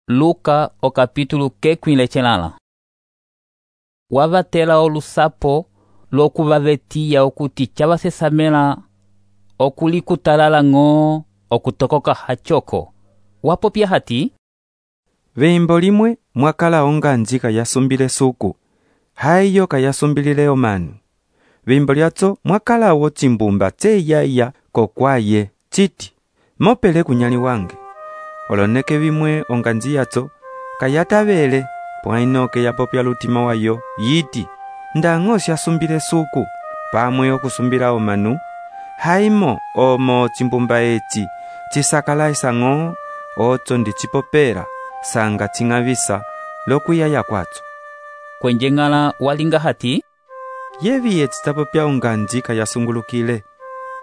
Luka o capítulo kekwinlechelala. Wavatela olusapo lokuvavetiya okuti chavasesamela okulikutalala ng'o okutokoka hachoko. Wapopya hati: Veimbo limwe mwakala onganji kayasumbile suku, haiyo kayasumbilile omanu. Veimbo lyatso mwakala wo chimbumba tseyaya kokwaye chiti, mopele kunyali wange. Oloneke vimwe onganji yatso kayatavele pwainoke yapopya lutima wayo yiti, ndang'o syasumbile suku pamwe okusumbila omanu, haimo omo chimbumba eci chisakalaisa ng'o otso ndichipopera sanga ching'avisa lokuyaya kwatso. Kwenje ng'ala walinga hati: Yevi etsitapopya onganji kayasungulukile.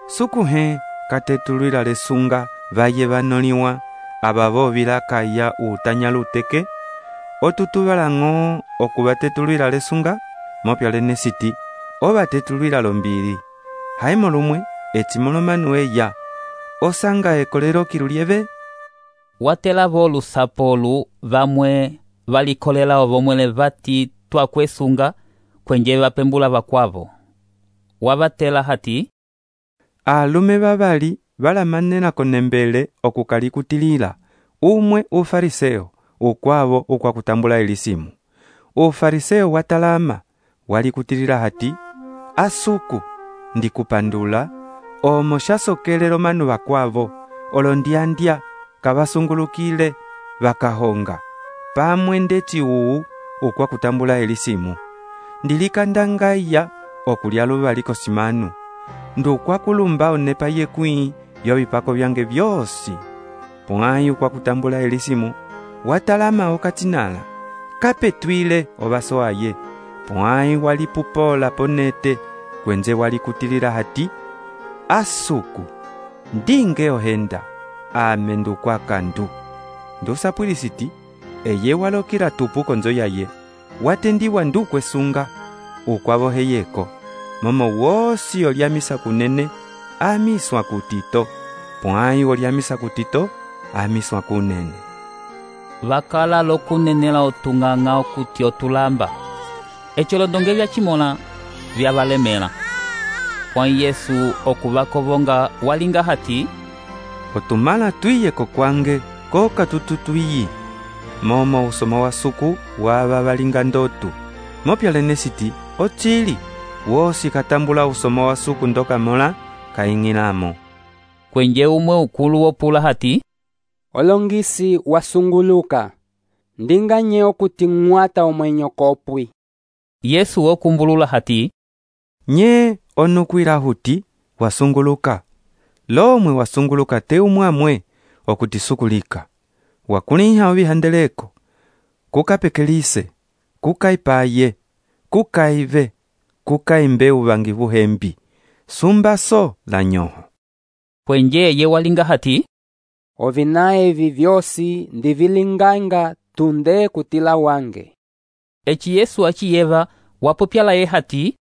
Suku he katetulwila lesunga vaye vanoliwa abavo vilakaya utanya luteke, otutuvala ng'o okuvatetulwila lesunga, mopya lenesiti ovatetulwila lombili. Haimo lumwe echimolomanu eya osanga ekolelo kilulieve. Watela vo lusapolu vamwe valikolela ovomwele vati twakwesunga kwenje vapembula vakwavo. Wavatela hati: Alume vavali valamanena konembele okukalikutilila, umwe ufariseo, ukwavo ukwakutambula elisimu. Ufariseo watalama walikutilila hati: Asuku ndikupandula omo shasokelelo manu vakwavo olondiandya kavasungulukile vakahonga pamwe ndeci uu ukwakutambula elisimu. Ndilikandangaya okulya luvaliko simanu, ndukwakulumba onepa yekwii yovipako vyange vyosi. Pwayi ukwakutambula elisimu watalama okatinala kapetwile ovaso aye. Pwayi walipupola ponete kwenje walikutilila hati: Asuku ndinge ohenda ame ndukwakandu. Ndusapwilisiti eye walokila tupu konzo yaye watendiwa ndukwesunga ukwavo heyeko, momo wosi olyamisa kunene amiswa kutito, pwayi olyamisa kutito amiswa kunene. Vakala lokunenela otung'ang'a okuti otulamba. Echolondonge vyachimola vyavalemela. Pwayi Yesu okuvakovonga walinga hati: Otumala tuiye kokwange koka tututwiyi. Momo usoma wa suku wava valinga ndotu. Mopya lenesiti ochili wosi katambula usoma wa suku ndoka mola kaing'ilamo. Kwenje umwe ukulu wopula hati: Olongisi wasunguluka, ndinganye okuti ng'wata omwenyo kopwi. Yesu wokumbulula hati: Nye onukwila huti wasunguluka. Lomwe wasunguluka te umwamwe okuti sukulika. Wakuliha ovihandeleko, kukapekelise, kukaipaye, kukaive, kukaimbe uvangi vuhembi, sumbaso la nyoho. Kwenje ye walinga hati: Ovina evi vyosi ndivilinganga tunde kutila wange. Eci Yesu achiyeva wapopyala ye hati: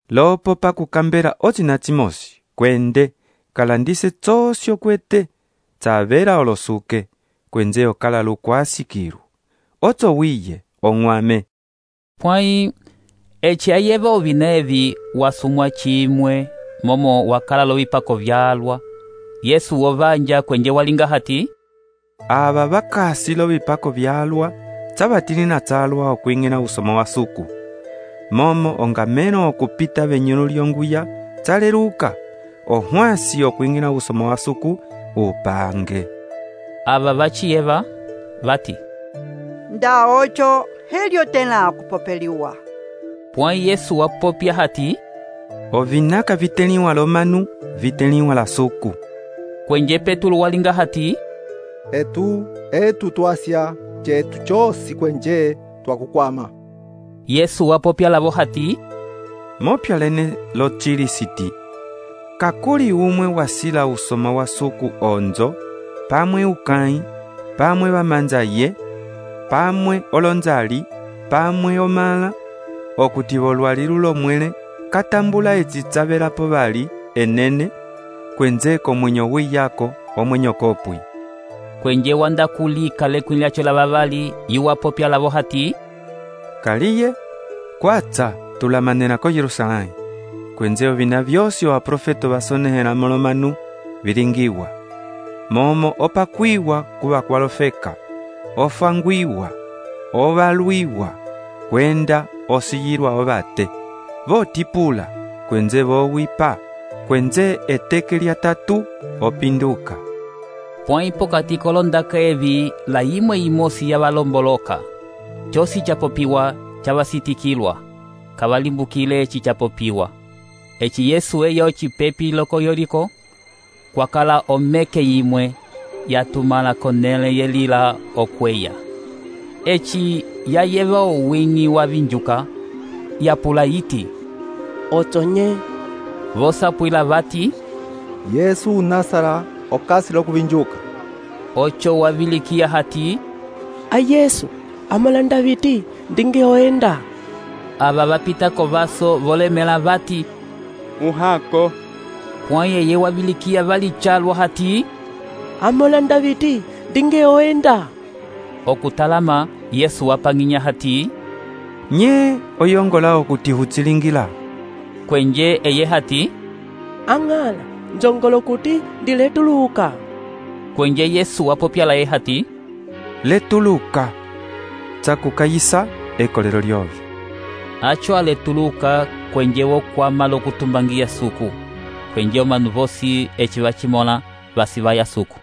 Lopo pa kukambela ochina chimosi, kwende kalandise tsosyo kwete, tsavera olosuke, kwenje okala lukwasikiru. Otso wiye ong'wame. Pwayi eci ayeva ovina evi wasumwa chimwe momo wakala lovipako vyalwa. Yesu wovanja kwenje walinga hati: Ava vakasi lovipako vyalwa tsavatili na tsalwa okwing'ina usoma wa suku. Momo ongameno okupita venyulu lyonguya tsaleluka, ohwasi okwing'ina usoma wa suku upange. Ava vachiyeva vati: Nda ocho helio tena kupopeliwa. Pwayi Yesu wapopya hati: Ovinaka viteliwa lomanu viteliwa la suku. Kwenje Petulu walinga hati: Etu twasya chetu chosi kwenje twakukwama. Yesu wapopya lavo hati: Mopya lene lochilisiti. Kakuli umwe wasila usoma wa suku onzo, pamwe ukai, pamwe vamanja ye, pamwe olonzali, pamwe omala, okuti volwalilu lomwele katambula etsitsavelapo vali enene, kwenzeko mwenyo wiyako omwenyo kopwi. kwenje wanda kulika lekwini lyacho la vavali iwapopya lavo hati, kaliye kwatsa tulamanena ko Yerusalemu kwenze ovina vyosi abaprofeto basonehela molomanu vilingiwa, momo opakwiwa kuva kwalofeka, ofangwiwa, ovalwiwa, kwenda osiyilwa ovate, votipula, kwenze vowipa, kwenze eteke lya 3 opinduka. pwãyi pokati kolondaka evi la yimwe yimosi yavalomboloka, cosi capopiwa cavasitikilwa, kavalimbukile eci capopiwa. Eci Yesu eya ocipepi loko Yoliko, kwakala omeke yimwe yatumala konele yelila okweya. Eci yayeva owingi wa vinjuka, yapula yiti, otonye. vosapwila vati, Yesu Nasara okasi lokuvinjuka. oco wavilikia hati, A Yesu, amolanda viti, ndinge oenda. ava vapitako vaso volemela vati, Uhako. pwãyi eye wavilikia valicalwa hati, Amolanda viti, ndinge oenda. okutalama Yesu wapang'inya hati, Nye oyongola okuti hutsilingila. kwenje eye hati, Ang'ala, njongolo kuti ndiletuluka. kwenje Yesu wapopyala ye hati, Letuluka tsakukayisa ekolelo lyovi. aco aletuluka kwenje wokwama lokutumbangiya suku, kwenje omanu vosi eci vacimola vasi vaya suku.